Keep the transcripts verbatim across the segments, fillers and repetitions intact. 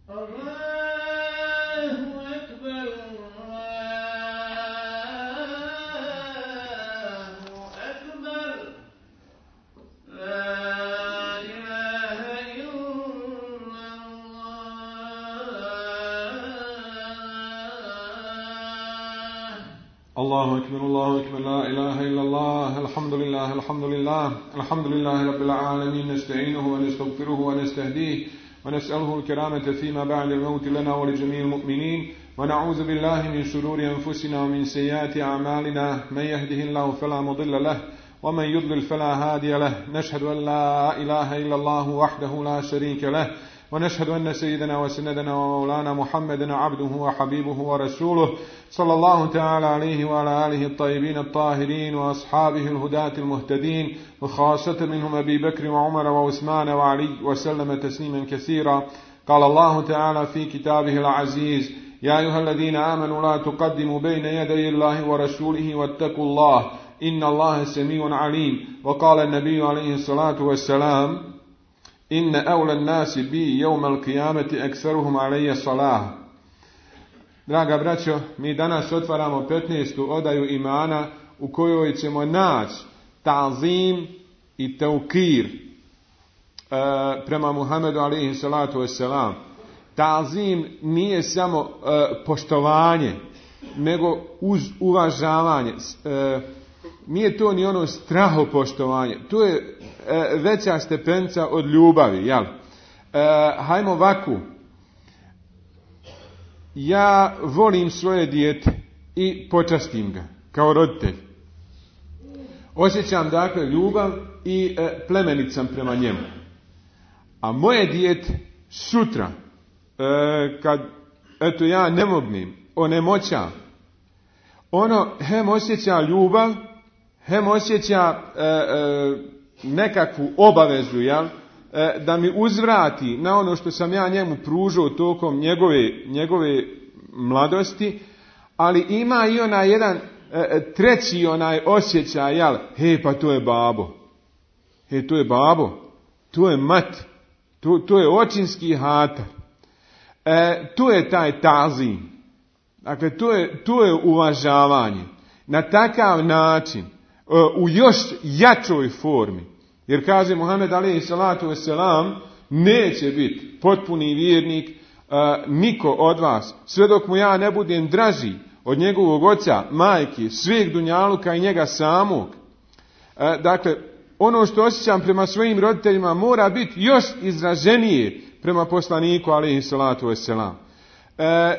الله أكبر الله أكبر لا إله إلا الله الحمد لله الحمد لله الحمد لله رب العالمين نستعينه ونستغفره ونستهديه ونسأله الكرامة فيما بعد الموت لنا ولجميع المؤمنين ونعوذ بالله من شرور أنفسنا ومن سيئات أعمالنا من يهده الله فلا مضل له ومن يضلل فلا هادي له نشهد أن لا إله إلا الله وحده لا شريك له ونشهد أن سيدنا وسندنا ومولانا محمدا عبده وحبيبه ورسوله صلى الله تعالى عليه وعلى آله الطيبين الطاهرين وأصحابه الهداة المهتدين وخاصة منهم أبي بكر وعمر وعثمان وعلي وسلم تسليما كثيرا. قال الله تعالى في كتابه العزيز يا أيها الذين آمنوا لا تقدموا بين يدي الله ورسوله واتقوا الله إن الله سميع عليم. وقال النبي عليه الصلاة والسلام إن أولى الناس بي يوم القيامة أكثرهم علي صلاة. Draga braćo, mi danas otvaramo petnaestu odaju imana u kojoj ćemo naći ta'zim i teukir e, prema Muhammedu alejhi salatu vesselam. Ta'zim nije samo e, poštovanje, nego uz uvažavanje. E, nije to ni ono strahopoštovanje, to je e, veća stepenca od ljubavi, jel? E, hajmo ovako. Ja volim svoje dijete i počastim ga kao roditelj. Osjećam dakle ljubav i e, plemenit sam prema njemu. A moje dijete sutra, e, kad eto ja ne mognem, onemoćam, ono hem osjeća ljubav, hem osjeća e, e, nekakvu obavezu, jel? Da mi uzvrati na ono što sam ja njemu pružao tokom njegove, njegove mladosti, ali ima i onaj jedan e, treći onaj osjećaj, jel, he, pa to je babo, he, to je babo, to je mat, to, to je očinski hatar, e, to je taj ta'zim, dakle, to je, to je uvažavanje, na takav način, e, u još jačoj formi. Jer kaže Muhammed alejhi salatu vesselam, neće biti potpuni vjernik uh, niko od vas, sve dok mu ja ne budem draži od njegovog oca, majke, sveg dunjaluka i njega samog. Uh, dakle, ono što osjećam prema svojim roditeljima mora biti još izraženije prema poslaniku alejhi salatu vesselam. Uh,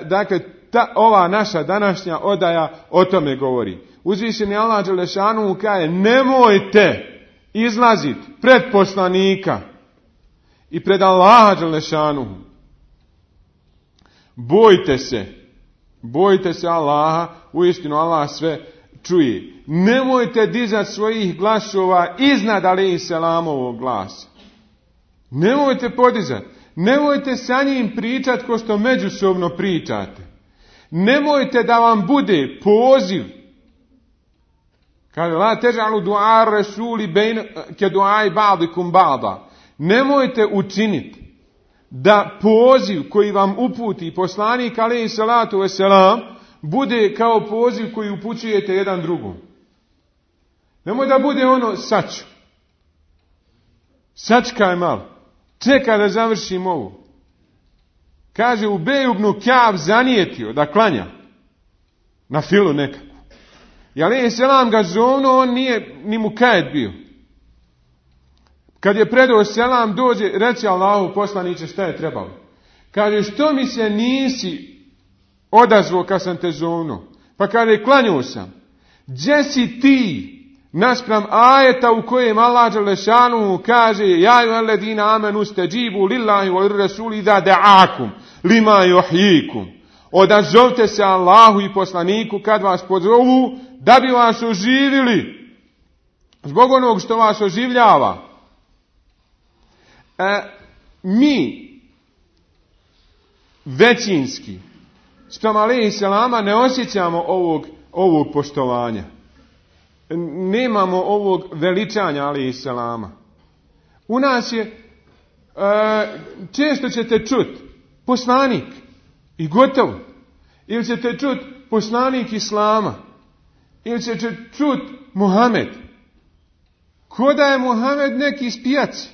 dakle, ta, ova naša današnja odaja o tome govori. Uzvišeni Allah dželešanu kaže, nemojte izlazit pred poslanika i pred Allaha dželešanu. Bojte se, bojte se Allaha, uistinu Allah sve čuje. Nemojte dizati svojih glasova iznad alejhi selamovog glasa. Nemojte podizati. Nemojte sa njim pričati ko što međusobno pričate. Nemojte da vam bude poziv. Kaže, la težalu du'a rasuli bejn ke du'ai ba'dikum ba'da. Nemojte učiniti da poziv koji vam uputi poslanik alejhi salatu vesselam bude kao poziv koji upućujete jedan drugom. Nemoj da bude ono saču. Sačkaj malo. Čekaj da završim ovo. Kaže, Ubej ibn Ka'b zanijetio da klanja na filu nekako. I alejhi selam ga zovno, on nije ni mu kajet bio. Kad je predao selam, dođe, reče Allahu poslaniče šta je trebalo. Kaže, što mi se nisi odazvao kad sam te zovno? Pa kaže, klanjao sam. Gdje si ti? Naspram ajeta u kojem Allah dželešanu kaže, ja ayyuhalladhina amanu stajibu lillahi wa rasuli idha da'akum lima yuhyikum. Odazovte se Allahu i poslaniku kad vas pozovu da bi vas oživili. Zbog onog što vas oživljava. E, mi većinski spram alejhi selama ne osjećamo ovog, ovog poštovanja. Nemamo ovog veličanja alejhi selama. U nas je, e, često ćete čuti poslanik i gotovo. Ili ćete čuti poslanik Islama. Ili ćete čuti Muhammed. Ko da je Muhammed neki iz pijaci.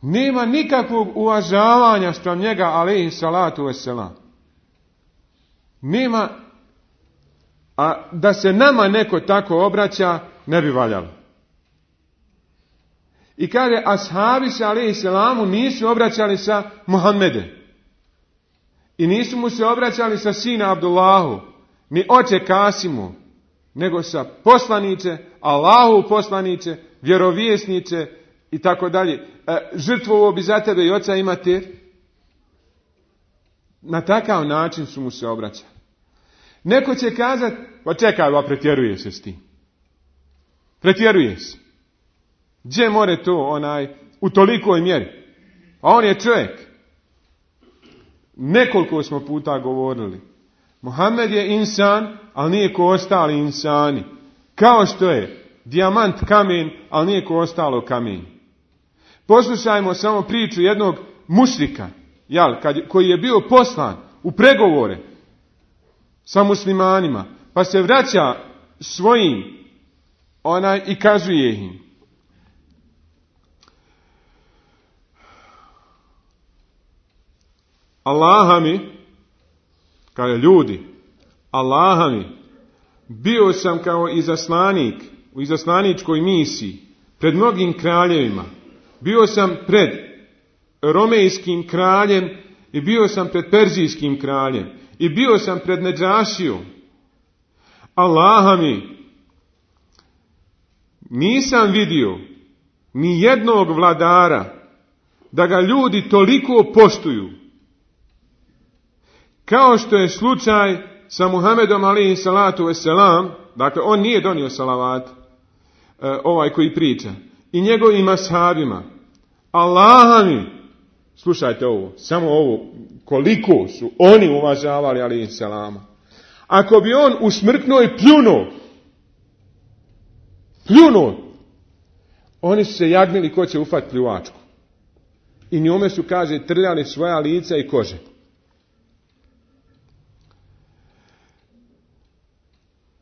Nema nikakvog uvažavanja spram njega, alejhi salatu vesselam. Nema, a da se nama neko tako obraća, ne bi valjalo. I kaže, ashabi se, alejhi selamu, nisu obraćali sa Muhammedem. I nisu mu se obraćali sa sina Abdullahu, ni oče Kasimu, nego sa poslanice, Allahu poslanice, vjerovjesnice i tako dalje. Žrtvovo bi za tebe i oca i mater. Na takav način su mu se obraćali. Neko će kazati, pa čekaj, ba pretjeruje se s tim. Pretjeruje se. Gdje more to onaj u tolikoj mjeri? A on je čovjek. Nekoliko smo puta govorili. Muhammed je insan, ali nije ko ostali insani. Kao što je dijamant kamen, ali nije ko ostalo kamen. Poslušajmo samo priču jednog mušrika, jel, kad, koji je bio poslan u pregovore sa muslimanima, pa se vraća svojim onaj i kazuje im. Allaha mi, kaže ljudi, Allaha mi, bio sam kao izaslanik u izaslaničkoj misiji pred mnogim kraljevima. Bio sam pred romejskim kraljem i bio sam pred perzijskim kraljem i bio sam pred Nedžašijom. Allaha mi, nisam vidio ni jednog vladara da ga ljudi toliko poštuju kao što je slučaj sa Muhammedom alejhi salatu vesselam. Dakle, on nije donio salavat, ovaj koji priča, i njegovim ashabima. Allaha mi, slušajte ovo, samo ovo, koliko su oni uvažavali alejhi salama. Ako bi on usmrknuo i pljunuo, pljunuo, oni su se jagmili ko će ufat pljuvačku. I njome su, kaže, trljali svoja lica i kože.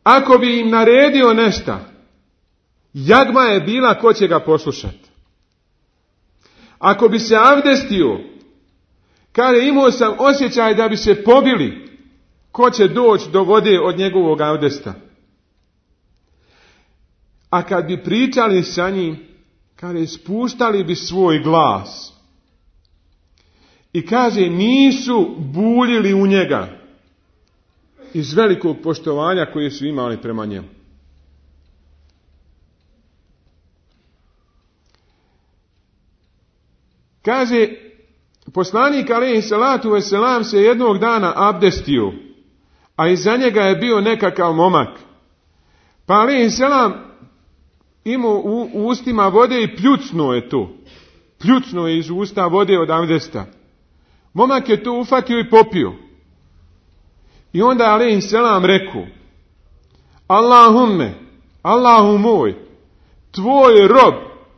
Ako bi im naredio nešto, jagma je bila ko će ga poslušati. Ako bi se avdestio, kaže, imao sam osjećaj da bi se pobili, ko će doći do vode od njegovog avdesta. A kad bi pričali sa njim, kaže, spuštali bi svoj glas. I kaže, nisu buljili u njega iz velikog poštovanja koje su imali prema njemu. Kaže, poslanik alejhi salatu vesselam se jednog dana abdestio, a iza njega je bio nekakav momak. Pa alejhi selam imao u, u ustima vode i pljucnuo je to. Pljucnuo je iz usta vode od abdesta. Momak je to ufatio i popio. I onda alejhi selam rekao, Allahumme, Allahu moj, tvoj rob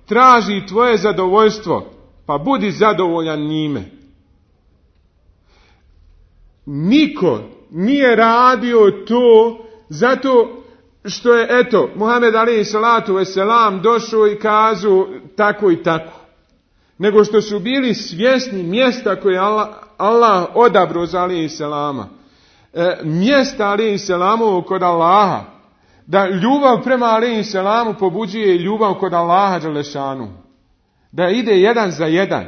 traži tvoje zadovoljstvo, pa budi zadovoljan njime. Niko nije radio to zato što je, eto, Muhammed alejhi salatu vesselam došao i kazao tako i tako. Nego što su bili svjesni mjesta koje Allah, Allah odabrao za alejhi selama. E, mjesta alejhi selamovog kod Allaha. Da ljubav prema alejhi selamu pobuđuje ljubav kod Allaha dželešanu. Da ide jedan za jedan.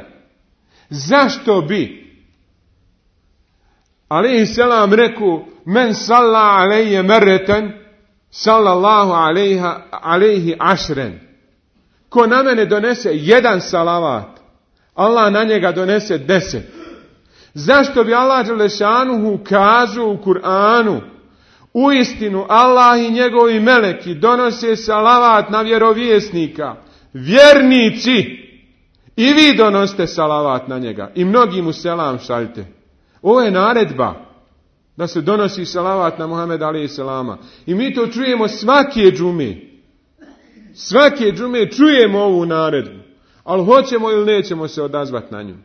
Zašto bi alejhi selam rekao, men salla alejje merreten, sallallahu alejha, alejhi ašren. Ko na mene donese jedan salavat, Allah na njega donese deset. Zašto bi Allah dželešanuhu kazao u Kur'anu, u istinu Allah i njegovi meleki donose salavat na vjerovjesnika, vjernici, i vi donosite salavat na njega i mnogi mu selam šaljte. Ovo je naredba da se donosi salavat na Muhameda alejhi selama. I mi to čujemo svake džume. Svake džume čujemo ovu naredbu. Ali hoćemo ili nećemo se odazvati na nju.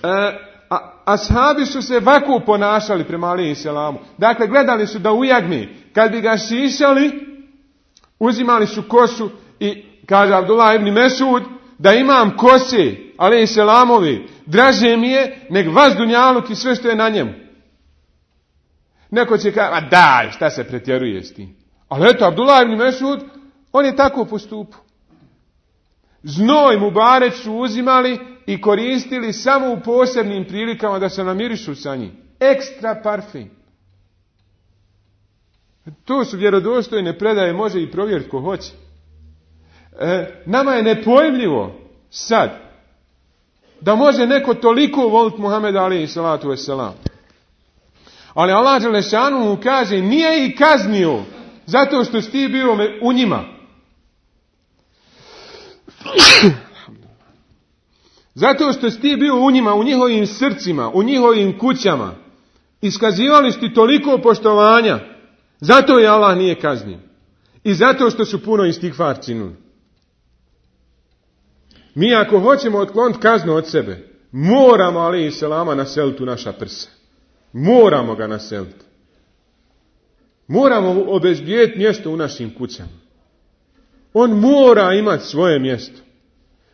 a, ashabi su se ovako ponašali prema alejhi selamu. Dakle, gledali su da u jagmi, kad bi ga šišali, uzimali su kosu i, kaže Abdullah ibn Mesud, da imam kose, alejhi selamovi, draže mi je nek vas dunjaluk i sve što je na njemu. Neko će kaže, a daj, šta se pretjeruje s tim? Ali eto, Abdullah ibn Mesud, on je tako postupao. Znoj Mubarek su uzimali i koristili samo u posebnim prilikama da se namirišu sa njim. Ekstra parfum. To su vjerodostojne predaje, može i provjeriti ko hoće. E, nama je nepojmljivo sad da može neko toliko voliti Muhameda alejhi salatu vesselam. Ali Allah dželešanu mu kaže, nije ih kaznio zato što si ti bio u njima. Zato što si ti bio u njima, u njihovim srcima, u njihovim kućama. Iskazivali su ti toliko poštovanja. Zato je Allah nije kaznio. I zato što su puno istigfar činuli. Mi ako hoćemo otkloniti kaznu od sebe, moramo alejhi selama naseliti u naša prsa. Moramo ga naseliti. Moramo obezbijeti mjesto u našim kućama. On mora imati svoje mjesto.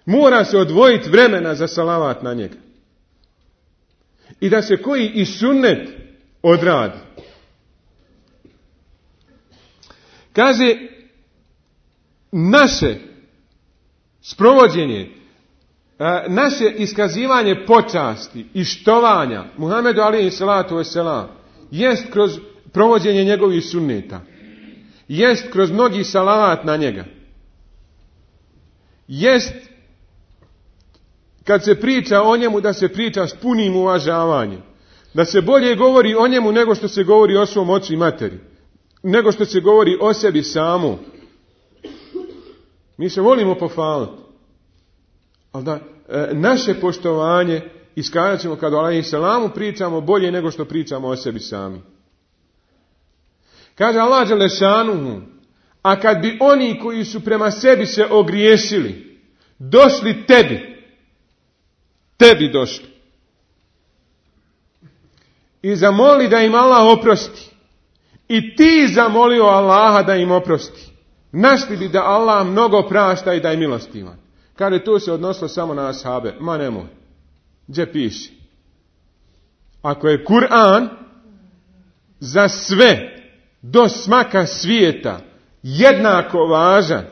Mora se odvojiti vremena za salavat na njega. I da se koji i sunnet odradi. Kaže, naše sprovođenje, naše iskazivanje počasti i štovanja Muhammedu alejhi salatu vesselam jest kroz provođenje njegovih sunneta. Jest kroz mnogi salavat na njega. Jest kad se priča o njemu da se priča s punim uvažavanjem. Da se bolje govori o njemu nego što se govori o svom ocu i materi. Nego što se govori o sebi samu. Mi se volimo pohvaliti. Ali da e, naše poštovanje iskazat ćemo kad o alejhi selamu pričamo bolje nego što pričamo o sebi sami. Kaže Allah dželešanuhu, a kad bi oni koji su prema sebi se ogriješili, došli tebi, tebi došli, i zamoli da im Allah oprosti, i ti zamolio Allaha da im oprosti, našli bi da Allah mnogo prašta i da je milostivan. Kaže, to se odnosilo samo na ashabe. Ma nemoj. Gdje piši? Ako je Kur'an za sve do smaka svijeta jednako važan,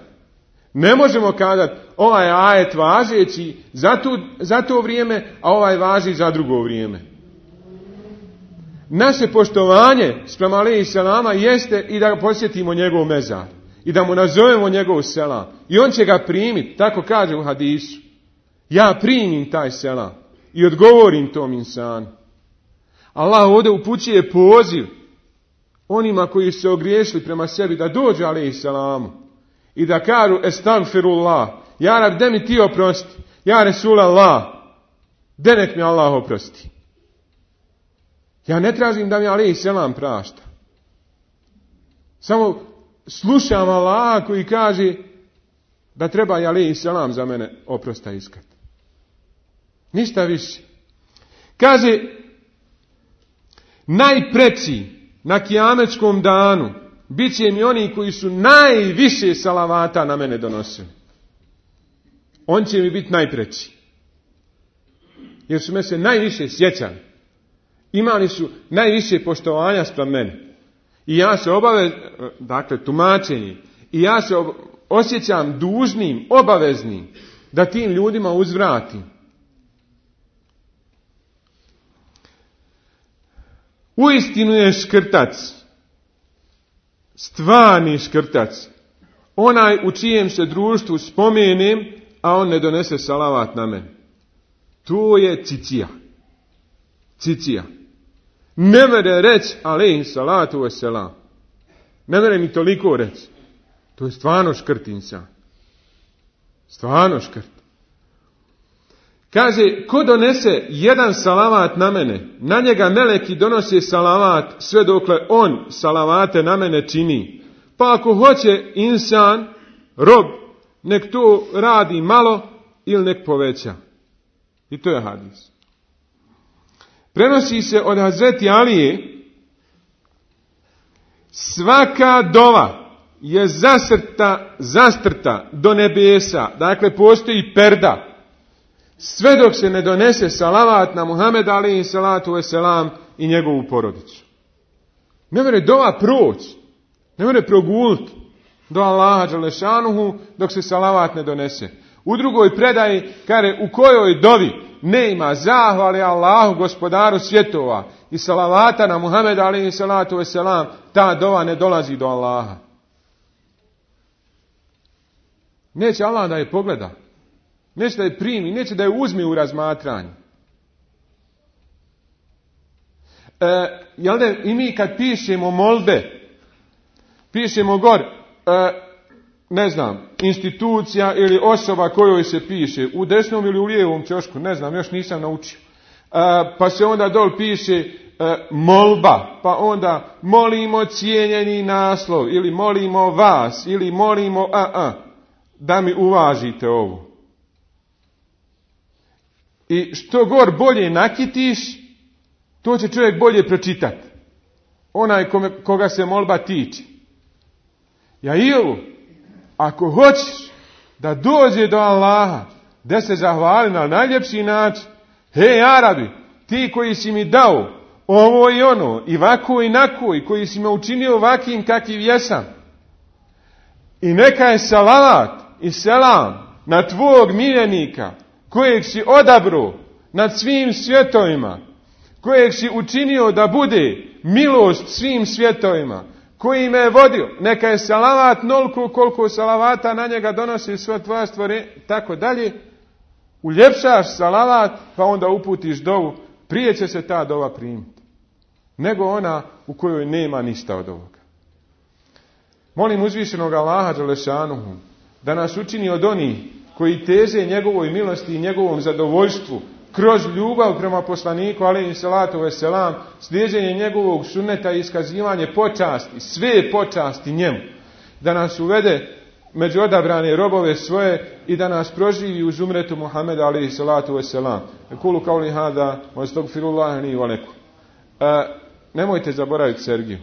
ne možemo kazati ovaj ajet važeći za to, za to vrijeme, a ovaj važi za drugo vrijeme. Naše poštovanje sprema alejhi selama jeste i da posjetimo njegov mezar. I da mu nazovemo njegov selam. I on će ga primiti, tako kaže u hadisu. Ja primim taj selam i odgovorim tom insanu. Allah ovdje upućuje poziv onima koji su se ogriješili prema sebi da dođu alejhi selamu i da kažu estagfirullah, ja Rab, de mi ti oprosti, ja Resulallah, de nek mi Allah oprosti. Ja ne tražim da mi alejhi selam prašta. Samo slušam Allaha koji kaže da treba i alejhi selam za mene oprosta iskat. Ništa više. Kaže, najpreći na kijametskom danu bit će mi oni koji su najviše salavata na mene donosili. On će mi biti najpreći. Jer su me se najviše sjećali. Imali su najviše poštovanja spram mene. I ja se obavez, dakle tumačenje, i ja se osjećam dužnim, obaveznim da tim ljudima uzvratim. Uistinu je škrtac, stvarni škrtac, onaj u čijem se društvu spomenem, a on ne donese salavat na mene. To je cicija. Cicija. Ne mere reći alejhi salatu vesselam. Ne mere mi toliko reći. To je stvarno škrtinca. Stvarno škrt. Kaže, ko donese jedan salavat na mene, na njega meleki donose salavat sve dokle on salavate na mene čini. Pa ako hoće insan, rob, nek to radi malo ili nek poveća. I to je hadis. Prenosi se od Hazreti Alije, svaka dova je zasrta, zastrta do nebesa, dakle postoji perda, sve dok se ne donese salavat na Muhameda alejhi salatu vesselam i njegovu porodicu. Ne može dova proći, ne može proguliti do Allaha dželešanuhu dok se salavat ne donese. U drugoj predaji kaže u kojoj dovi ne ima zahvale Allahu gospodaru svjetova i salavata na Muhameda alejhi salatu vesselam, ta dova ne dolazi do Allaha. Neće Allah da je pogleda, neće da je primi, neće da je uzme u razmatranje. E, jel da i mi kad pišemo molbe, pišemo gor, e, ne znam, institucija ili osoba kojoj se piše, u desnom ili u lijevom ćošku, ne znam, još nisam naučio. E, pa se onda dol piše e, molba, pa onda molimo cijenjeni naslov, ili molimo vas, ili molimo a, a, da mi uvažite ovo. I što gor bolje nakitiš, to će čovjek bolje pročitati. Onaj kome, koga se molba tiče. Ja i ovo, ako hoćeš da dođe do Allaha, da se zahvali na najljepši način, hej Arabi, ti koji si mi dao ovo i ono, i vako i nako, i koji si me učinio ovakvim kakvim jesam, i neka je salavat i selam na tvog miljenika, kojeg si odabro nad svim svjetovima, kojeg si učinio da bude milost svim svjetovima, koji me je vodio, neka je salavat nolko koliko salavata na njega donosi sva tvoja stvore, tako dalje, uljepšaš salavat, pa onda uputiš dovu, prije će se ta dova primiti, nego ona u kojoj nema ništa od ovoga. Molim uzvišenog Allaha dželešanuhu da nas učini od onih koji teže njegovoj milosti i njegovom zadovoljstvu kroz ljubav prema poslaniku alejhi salatu vesselam, slijeđenje njegovog sunneta i iskazivanje počasti, sve počasti njemu, da nas uvede među odabrane robove svoje i da nas proživi uz umretu Muhameda alejhi salatu vesselam. Kulu kauli hada, wa astagfirullaha li wa lakum. Nemojte zaboraviti Sergiju.